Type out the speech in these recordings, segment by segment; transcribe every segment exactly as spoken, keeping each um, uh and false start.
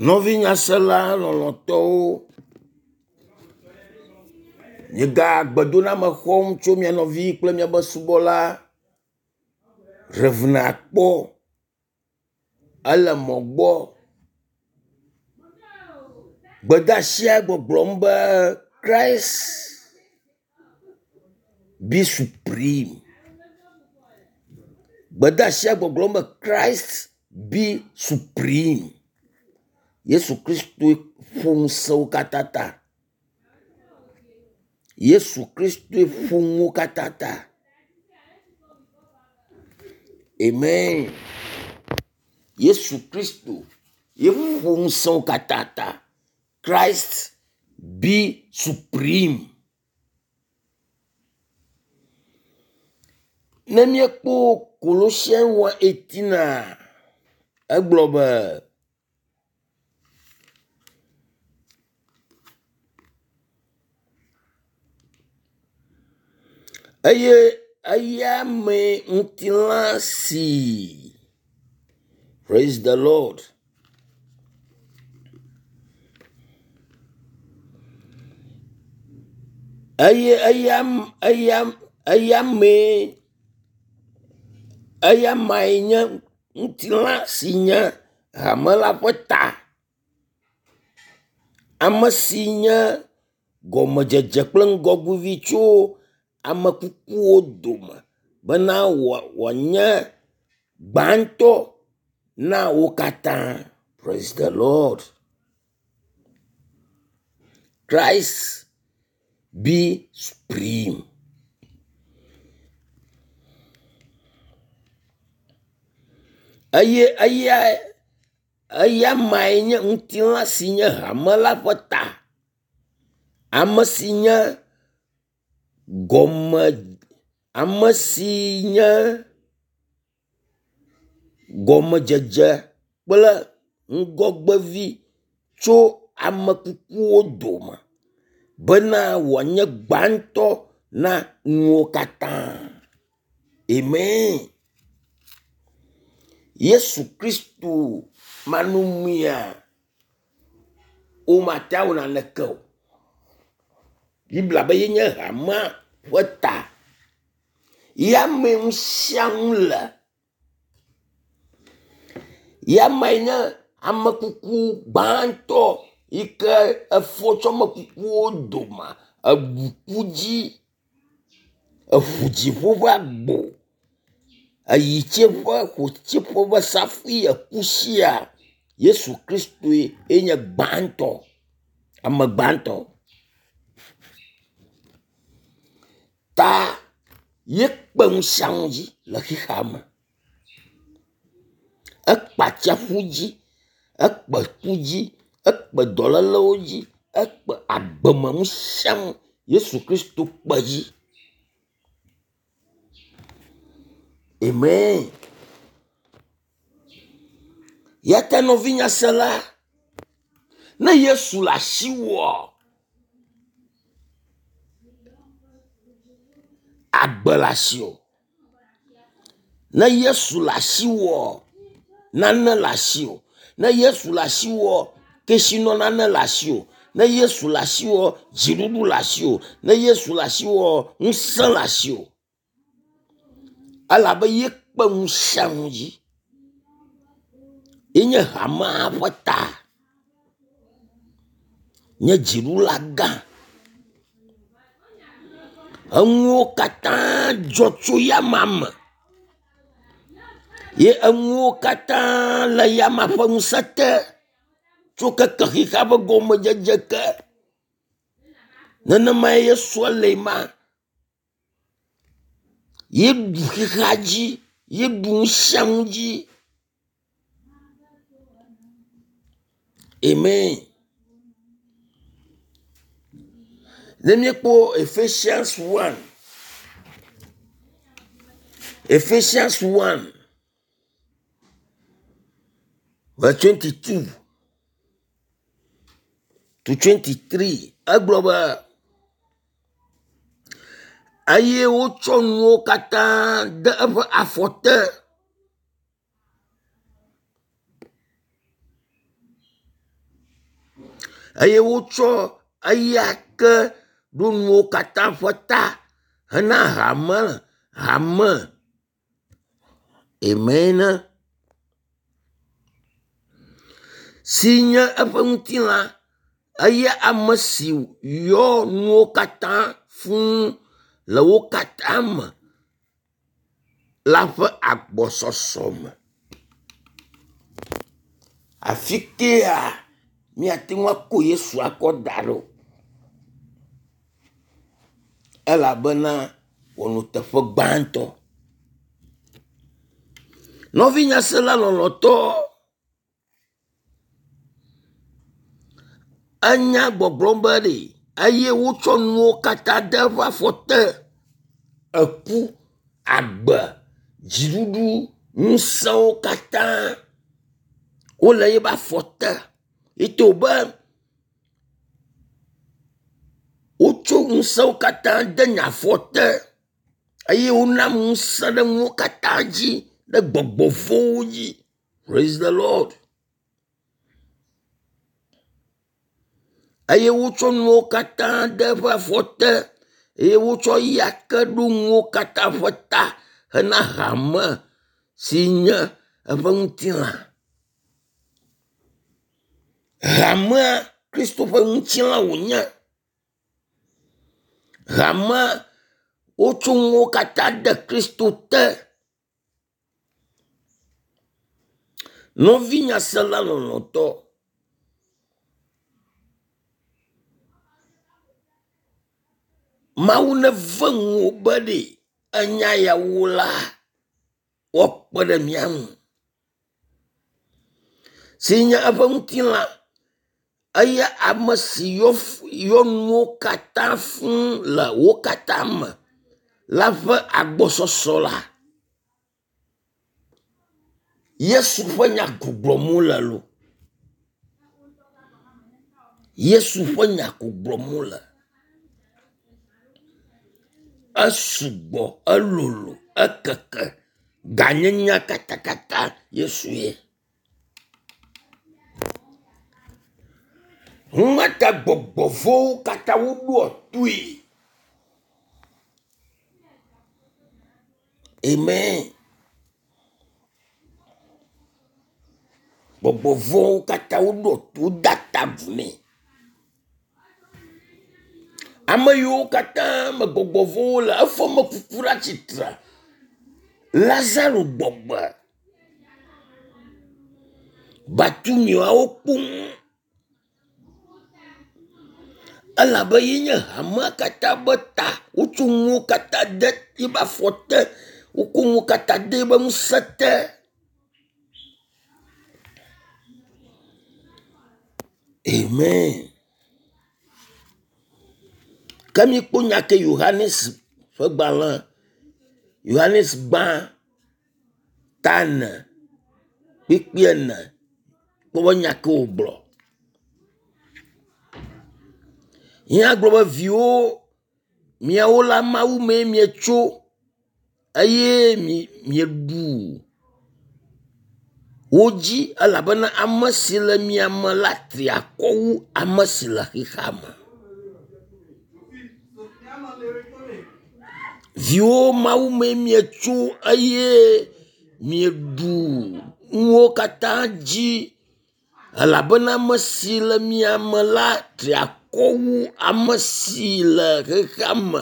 Nɔvi nyasela lɔlɔ̃tɔwo, miega gbedoname xɔm tso mia nɔvi kple miaƒe subɔla Rev. Akpɔ ele mɔ gbɔ. Gbedeasia gbɔgblɔm be Christ be supreme. Gbedeasia gbɔgblɔm be Christ be supreme. Yesu Kristoe ƒo ŋusẽwo katã ta. Yesu Kristoe ƒo nuwo katã ta. Amen. Yesu Kristo ye ƒo ŋusẽwo katã ta. Christ be supreme. Ne míekpɔ Kolosian one eighteen egblɔ be eye eya mee ŋutilã si praise the Lord. Eye eya eya eya mee eya mae nye ŋutilã si nye hame la ƒe ta. Ame si nye gɔmedzedze kple ŋgɔgbevi tso ame kukuwo dome bena wòanye gbãtɔ na wo katã. Praise the Lord. Christ be supreme. Eye eya eya mae nye ŋutilã si nye hame la ƒe ta. Ame si nye gɔme ame si nye gɔmedzedze kple ŋgɔgbevi tso ame kukuwo dome bena wòanye gbãtɔ na nuwo katã. Amen. Yesu Kristo manɔŋuia, womate awɔ naneke o. Biblia be yenye hamea ƒe ta. Ya mee nu sia nu le. Ya mee nye amekuku gbãtɔ yi ke efɔ tso amekukuwo dome, eɖu ku dzi, eŋu dziƒo ƒe agbo, eyi tsiẽƒe ƒo tsiẽƒe ƒe safui eku sia. Yesu Kristoe nye gbãtɔ, ame gbãtɔ. Ta ye kpe nu sia nu dzi le xexea me. Ekpe atsiaƒu dzi, ekpe ku dzi, ekpe dɔlélewo dzi, ekpe agbeme nu sia nu. Yesu Kristo kpe dzi. Amen. Ya ta nɔvi nyasela, ne Yesu le asiwòa, agbe le asiwò. Ne Yesu le asiwòa, nane le asiwò. Ne Yesu le asiwòa, kesinɔ nane le asiwò. Ne Yesu le asiwòa, dziɖuɖu le asiwò. Ne Yesu le asiwòa, ŋusẽ le asiwò. Elabe yekpe nu sia nu dzi. Yenye hamea ƒe ta. Nye dziɖula gã. Enuwo katã dzɔ tso yama me. Ye enuwo katã le yama ƒe ŋusẽ te tso keke xexea ƒe gɔmedzedze ke. Nenemae Yesua le ma. Yeɖu xexea dzi, yeɖu nu sia nu dzi. Amen. Ne míekpɔ Ephesians one, Ephesians one verse twenty-two to twenty-three, egblɔ be eye wotsɔ nuwo katã de eƒe afɔ te. Eye wotsɔ eya ke ɖo nuwo katã ƒe ta hena hame hame. Amen. Si nye eƒe ŋutilã eye ame si yɔ nuwo katã fũu le wo katã me la ƒe agbɔsɔsɔ me. Afi kea míate ŋu akɔ Yesu akɔ da ɖo elabena wɔnuteƒe gbãtɔ. Nɔvi nyasela lɔlɔ̃tɔ, enya gbɔgblɔm be ɖe eye wotsɔ nuwo katã de eƒe afɔ te. Eku, agbe, dziɖuɖu, ŋusẽwo katã wole eƒe afɔ te. Ete wòbe wotso ŋusẽwo katã de nye afɔ te eye wonam ŋusẽ ɖe nuwo katã dzi ɖe gbɔgbɔ vɔ̃wo dzi. Praise the Lord. Eye wotsɔ nuwo katã de eƒe afɔ te eye wotsɔ eya ke ɖo nuwo katã ƒe ta hena hame si nye eƒe ŋutilã. Hamea Kristo ƒe ŋutilã wònye. Hamea wotso nuwo katã de Kristo te. Nɔvi nyasela lɔlɔ̃tɔ, Mawu neve nuwò be ɖe enya yawo la woakpe ɖe mía ŋu. Si nye eƒe ŋutilã eya ame si yɔ yɔ nuwo katã fũu le wo katã me la ƒe agbɔsɔsɔ la. Yesu ƒe nya ko gblɔm wole loo. Yesu ƒe nya ko gblɔm wole. Esugbɔ, elolo, ekeke, ganyenya katakata Yesu ye. Numa ta gbɔgbɔ vɔ̃wo katã woɖoa toe. Amen. Gbɔgbɔ vɔ̃wo katã woɖoa to wodea ta agu nɛ. Ame yiwo katã me gbɔgbɔ vɔ̃wo le efɔ ame kuku ɖe atsitre. Lazaro gbɔgbe. Bartimeoawo kpɔm elabe ye nye hamea katã be ta. Wotso nuwo katã de eƒe afɔ te. Woko nuwo katã de eƒe ŋusẽ te. Amen. Ke míekpɔ nya ke Yohanes ƒe gbalẽ Yohanes gbã ta ene kpukpui ene kpɔ be nya ke wògblɔ. Mía gblɔ be viwo miawo la Mawu mee mietso eye mieɖu wo dzi elabena ame si le mia me la tri akɔ wu ame si le xexea me. Viwo Mawu mee mietso eye mieɖu nuwo katã dzi elabena ame si le mia me la tri akɔ wu ame si le xexea me.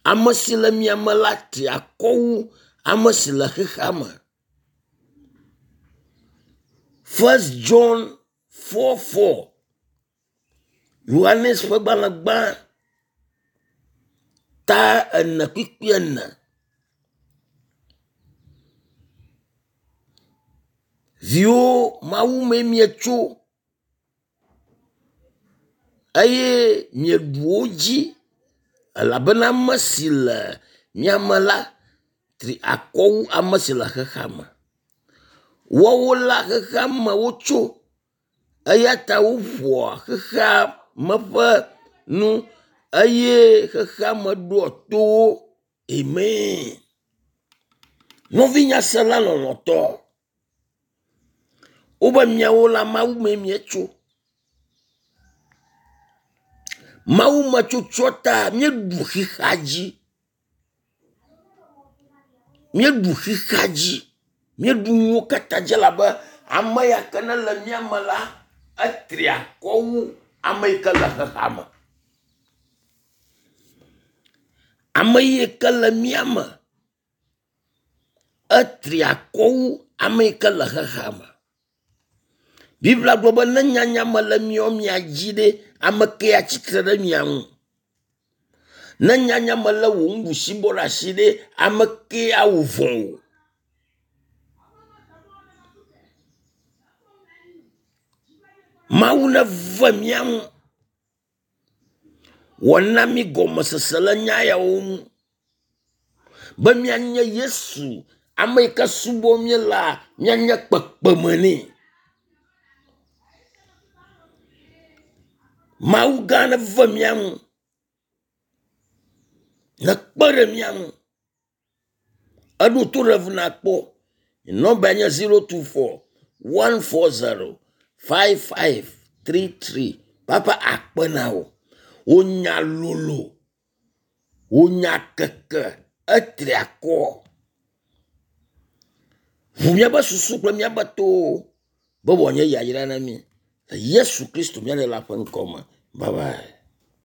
Ame si le mia me la tri akɔ wu ame si le xexea me. First John four four. Yohanes ƒe gbalẽ gbã ta ene kpukpui ene. Viwo Mawu mee mietso eye mieɖu wo dzi elabena ame si le mia me la tri akɔ wu ame si le xexea me. Woawo la xexea me wotso eya ta woƒoa xexea me ƒe nu eye xexea me ɖoa to wo. Amen. Nɔvi nyasela lɔlɔ̃tɔ, wobe miawo la Mawu mee mietso. Mawu metsotsoa ta míeɖu xixea dzi. Míeɖu xixea dzi. Míeɖu nuwo katã dzi elabe ame ya ke ne le mía me la, etri akɔ wu ame yi ke le xexea me. Ame yi ke le mía me, etri akɔ wu ame yi ke le xexea me. Biblia gblɔ be ne nyanya mele míawo mia dzi ɖe, ame ke atsitre ɖe mia ŋu. Ne nyanya mele wò nuɖusibɔ ɖe asi ɖe, ame ke awɔ vɔ̃ wò. Mawu neve mía ŋu. Wòana mí gɔmesese le nya yawo ŋu be míanye Yesu, ame yi ke subɔm míelea, míanye kpekpeme nɛ. Mawu gã neve mía ŋu. Nekpe ɖe mía ŋu. Eɖo to ɖe ŋu nakpɔ. Nɔmba nye zero two four one four zero five five three three. Papa akpe na wò. Wò nya lolo, wò nya keke, etri akɔ. Ʋu míaƒe susu kple míaƒe towo be wòanye yayra na mí. Le Yesu Kristo mía Ɖela ƒe ŋkɔ me. Bye bye.